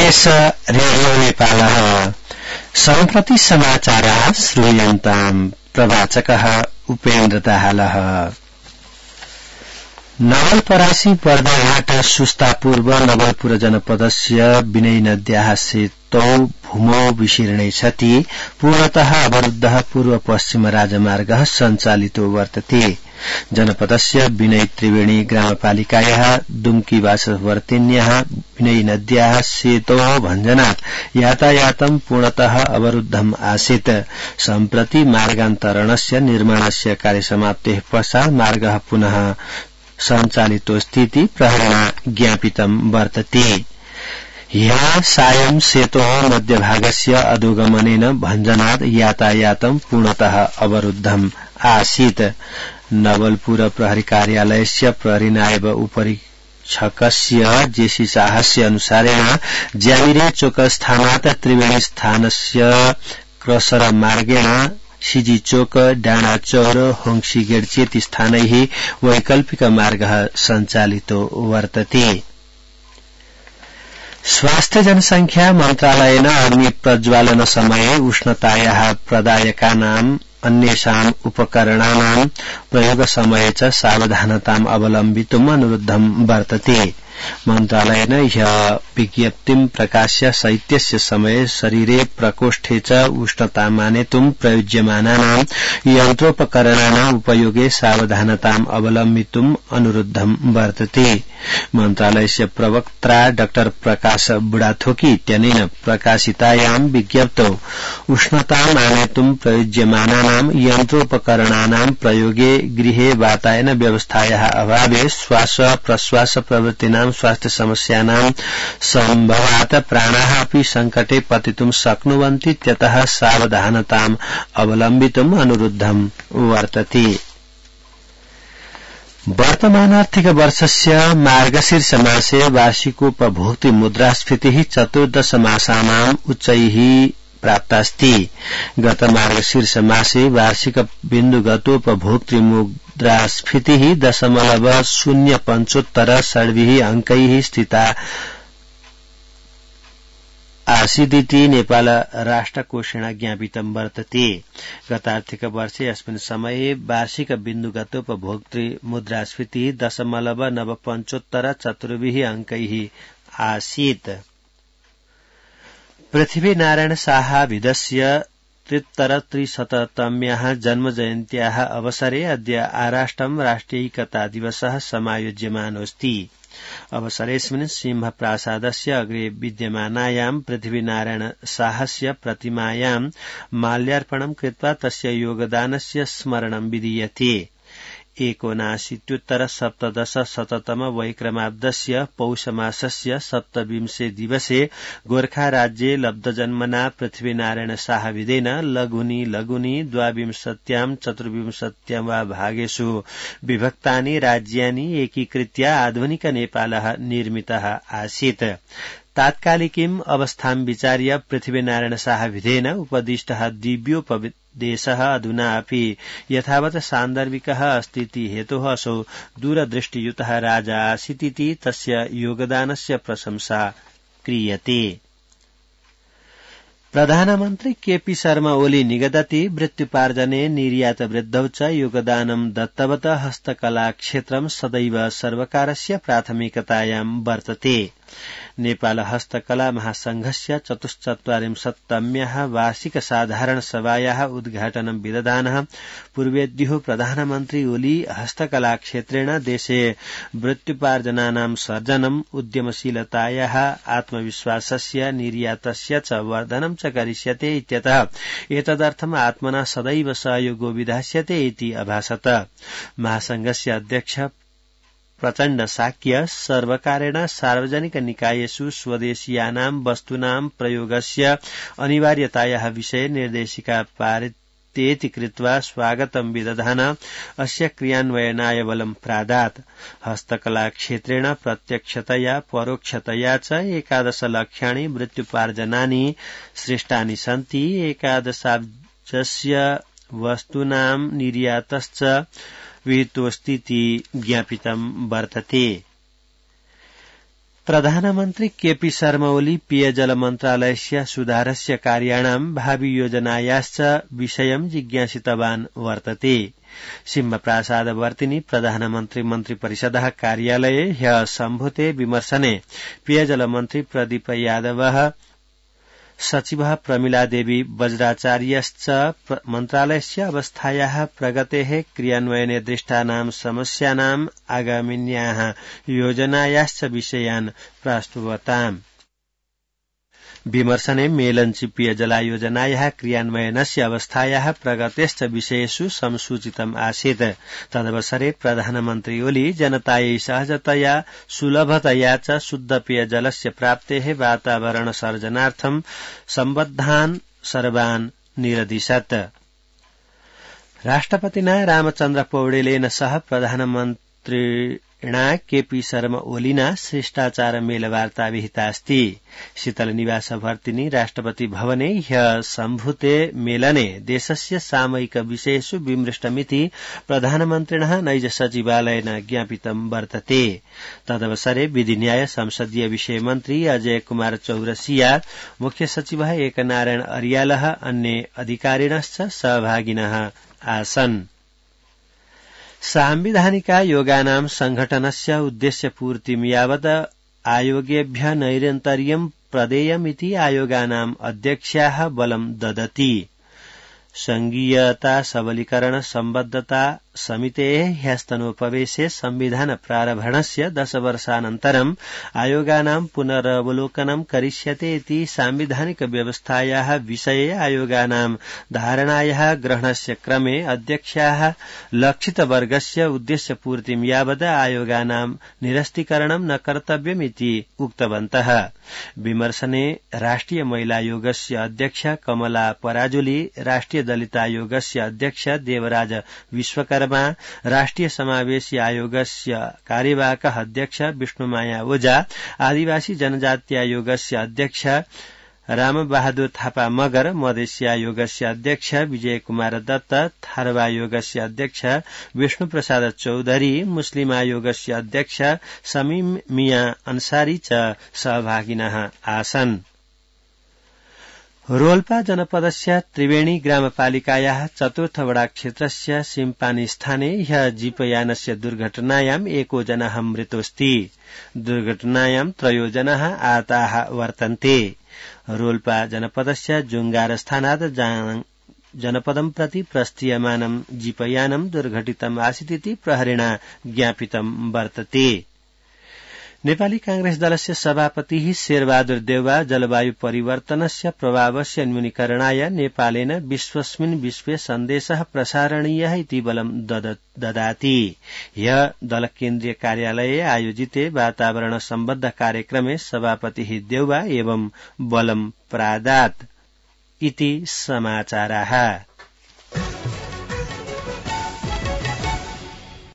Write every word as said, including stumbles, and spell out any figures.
S radio नेपालः सम्प्रति समाचारः श्रूयन्ताम् प्रवाचकः उपेन्द्र दाहालः। नवलपरासी बर्दाघाट सुस्ता पूर्व नवलपुर जनपदस्य विनय नद्याः सेतौ भूमौ विशीर्णे सति पूर्णतः अवरुद्धः पूर्व पश्चिम राजमार्गः सञ्चालितो वर्तते। जनपदस्य विनय त्रिवेणी ग्रामपालिकायाः दुम्कीवासवर्तिन्याः विनय नद्याः सेतोः भञ्जनात् यातायातं पूर्णतः अवरुद्धम् आसीत्। सम्प्रति मार्गान्तरणस्य निर्माणस्य कार्यसमाप्तेः पश्चात् मार्गः पुनः सञ्चालितो स्थिति प्रहरिणा ज्ञापितं वर्तते। ह्यः सायं सेतोः मध्यभागस्य अधोगमनेन भञ्जनात् यातायातं पूर्णतः अवरुद्धम् आसीत्। नवलपुर प्रहरी कार्यालयस्य प्रहरी नायब उपरीक्षकस्य जेसी शाहस्य अनुसारेण ज्यामिरे चोक स्थानात् त्रिवेणी स्थानस्य क्रसर मार्गेण सिजी चोक डाँडा चौर होंसी गेट चेती स्थानैः वैकल्पिक मार्गः सञ्चालितो वर्तते। स्वास्थ्य जनसंख्या मन्त्रालयेन अग्नि प्रज्वालन समये उष्णतायाः प्रदायकानाम् अन्येषाम् उपकरणानां प्रयोग समये च सावधानताम् अवलम्बितुम् अनुरुद्धम् वर्तते। मन्त्रालयेन ह्यः विज्ञप्तिं प्रकाश्य शैत्यस्य समये शरीरे प्रकोष्ठे च उष्णता मानेतुं प्रयुज्यमानानां यन्त्रोपकरणानाम् उपयोगे सावधानताम् अवलम्बितुम् अनुरुद्धम् वर्तते। मन्त्रालयस्य प्रवक्ता डाक्टर प्रकाश बुढाथोकी इत्यनेन प्रकाशितायां विज्ञप्तौ उष्णताम् आनेतुं प्रयुज्यमानानां यन्त्रोपकरणानां प्रयोगे गृहे वातायन व्यवस्थायाः अभावे श्वास प्रश्वास प्रवृत्तीनां स्वास्थ्य समस्यानां सम्भवात् प्राणाः अपि संकटे पतितुं शक्नुवन्ति त्यतः सावधानताम् अवलम्बितुम् अनुरुद्धम् वर्तते। वर्तमानार्थिक वर्षस्य मार्गशीर्ष मासे वार्षिकोपभोक्तृ मुद्रास्फीतिः चतुर्दश मासानाम् उच्चैः प्राप्तास्ति। गत मार्गशीर्ष मासे वार्षिक बिन्दुगतोपभोक्तृ मुद्रास्फीतिः दशमलव शून्य पञ्चोत्तर षड्भिः अंकैः स्थिता आसीदिति नेपाल राष्ट्रकोषेण ज्ञापितं वर्तते। गतार्थिक वर्षे अस्मिन् समये वार्षिक बिन्दुगतोपभोक्तृ मुद्रास्फीतिः दशमलव नव पञ्चोत्तर चतुर्भिः अंकैः आसीत्। पृथ्वीनारायण साहाभिधस्य त्रित्तरत्रिशततम्याः जन्मजयन्त्याः अवसरे अद्य आराष्टम् राष्ट्रियैकता दिवसः समायोज्यमानोऽस्ति। अवसरेऽस्मिन् सिंहप्रासादस्य अग्रे विद्यमानायां पृथ्वीनारायण साहस्य प्रतिमायां माल्यार्पणं कृत्वा तस्य योगदानस्य स्मरणं विधीयते। एकोनाशीत्युत्तर सप्तदश शततम वैक्रमाब्दस्य पौषमासस्य सप्तविंशे दिवसे गोर्खा राज्ये लब्धजन्मना पृथ्वीनारायण साहविदेन लघुनि लघुनि द्वाविंशत्यां चतुर्विंशत्यां वा भागेषु विभक्तानि राज्यानि एकीकृत्य आधुनिक नेपालः निर्मितः आसीत्। तात्कालिकीम् अवस्थां विचार्य पृथ्वीनारायण साहविधेन उपदिष्टः दिव्योपदेशः अधुना अपि यथावत् सान्दर्भिकः अस्तीति हेतोः असौ दूरदृष्टियुतः राजा आसीदिति तस्य योगदानस्य प्रशंसा क्रियते। प्रधानमन्त्री केपी शर्मा ओली निगदति वृत्त्युपार्जने निर्यात वृद्धौ च योगदानं दत्तवत हस्तकला क्षेत्रं सदैव सर्वकारस्य प्राथमिकतायां वर्तते। नेपाल हस्तकला महासंघस्य चतुश्चत्वारिंशत्तम्याः वार्षिक साधारण सभायाः उद्घाटनं विदधानः पूर्वेद्युः प्रधानमन्त्री ओली हस्तकला क्षेत्रेण देशे वृत्त्युपार्जनानां सर्जनम् उद्यमशीलतायाः आत्मविश्वासस्य निर्यातस्य च वर्धनं च करिष्यते इत्यतः एतदर्थम् आत्मना सदैव सहयोगो विधास्यते इति अभासत। महासंघस्य अध्यक्ष प्रचण्ड शाक्य सर्वकारेण सार्वजनिक निकायेषु स्वदेशीयानां वस्तूनां प्रयोगस्य अनिवार्यतायाः विषये निर्देशिका पारितेति कृत्वा स्वागतं विदधान अस्य क्रियान्वयनाय बलं प्रादात्। हस्तकला क्षेत्रेण प्रत्यक्षतया परोक्षतया च एकादश लक्ष्याणि वृत्त्युपार्जनानि सृष्टानि सन्ति। एकादशाब्जस्य वस्तूनां निर्यातश्च विहितोऽस्तीति ज्ञापितं वर्तते। प्रधानमन्त्री केपी शर्मा ओली पेयजल मन्त्रालयस्य सुधारस्य कार्याणां भावि योजनायाश्च विषयं जिज्ञासितवान् वर्तते। सिंहप्रासादवर्तिनि प्रधानमन्त्री मन्त्रिपरिषदः कार्यालये ह्यः सम्भूते विमर्शने पेयजल मन्त्री प्रदीप यादवः सचिवः प्रमिला देवी वज्राचार्यश्च मन्त्रालयस्य अवस्थायाः प्रगतेः क्रियान्वयने दृष्टानां समस्यानाम् आगामिन्याः योजनायाश्च विषयान् प्रास्तुवताम्। विमर्शने मेलञ्ची पेयजलायोजनायाः क्रियान्वयनस्य अवस्थायाः प्रगतेश्च विषयेषु संसूचितम् आसीत्। तदवसरे प्रधानमन्त्री ओली जनतायै सहजतया सुलभतया च शुद्ध पेयजलस्य प्राप्तेः वातावरण सर्जनार्थं सम्बद्धान् सर्वान् निरदिशत्। राष्ट्रपतिना रामचन्द्र पौडेलेन सह प्रधानमन्त्री केपी शर्मा ओलिना शिष्टाचार मेलवार्ता विहितास्ति। शीतल निवास भर्तिनि राष्ट्रपति भवने ह्यः सम्भूते मेलने देशस्य सामयिक विषयेषु विमृष्टमिति प्रधानमन्त्रिणः नैज सचिवालयेन ज्ञापितं वर्तते। तदवसरे विधि न्याय संसदीय विषय मन्त्री अजय कुमार चौरसिया, मुख्य सचिवः एकनारायण अर्यालः अन्ये अधिकारिणश्च सहभागिनः आसन्। सांविधानिका योगानां संघटनस्य उद्देश्यपूर्तिं यावत् आयोगेभ्यः नैरन्तर्यं प्रदेयमिति आयोगानाम् अध्यक्षाः बलं ददति। संघीयता सबलीकरण सम्बद्धता समितेः ह्यस्तनोपवेशे संविधान प्रारम्भणस्य दश वर्षानन्तरम् आयोगानां पुनरवलोकनं करिष्यते इति सांविधानिक व्यवस्थायाः विषये आयोगानां धारणायाः ग्रहणस्य क्रमे अध्यक्षाः लक्षितवर्गस्य उद्देश्यपूर्तिं यावत् आयोगानां निरस्तीकरणं न कर्तव्यमिति उक्तवन्तः। विमर्शने राष्ट्रिय महिलायोगस्य अध्यक्ष कमला पराजुली, राष्ट्रिय दलित आयोगस्य अध्यक्ष देवराज विश्वकर्मा, राष्ट्रिय समावेशी आयोगस्य कार्यवाहकः अध्यक्ष विष्णुमाया ओझा, आदिवासी जनजाति आयोगस्य अध्यक्ष रामबहादुर थापा मगर, मधेसी आयोगस्य अध्यक्ष विजय कुमार दत्त, थारवा आयोगस्य अध्यक्ष विष्णु प्रसाद चौधरी, मुस्लिम आयोगस्य अध्यक्ष समीम मिया अंसारी च सहभागिनः आसन्। रोल्पा जनपदस्य त्रिवेणी ग्रामपालिकायाः चतुर्थ वडा क्षेत्रस्य सिम्पानी स्थाने ह्यः जीपयानस्य दुर्घटनायाम् एको जनः मृतोऽस्ति। दुर्घटनायां त्रयो जनाः आहताः वर्तन्ते। रोल्पा जनपदस्य जुंगार स्थानात् जनपदं प्रति प्रस्थीयमानं जीपयानं दुर्घटितम् आसीदिति प्रहरिणा ज्ञापितं वर्तते। नेपाली कांग्रेस दलस्य सभापतिः शेरबहादुर देउवा जलवायु परिवर्तनस्य प्रभावस्य न्यूनीकरणाय नेपालेन विश्वस्मिन् विश्वे सन्देशः प्रसारणीयः इति बलं ददाति। ह्यः दल केन्द्रीय कार्यालये आयोजिते वातावरण सम्बद्ध कार्यक्रमे सभापतिः देउवा एवं बलं प्रादात् इति समाचाराः।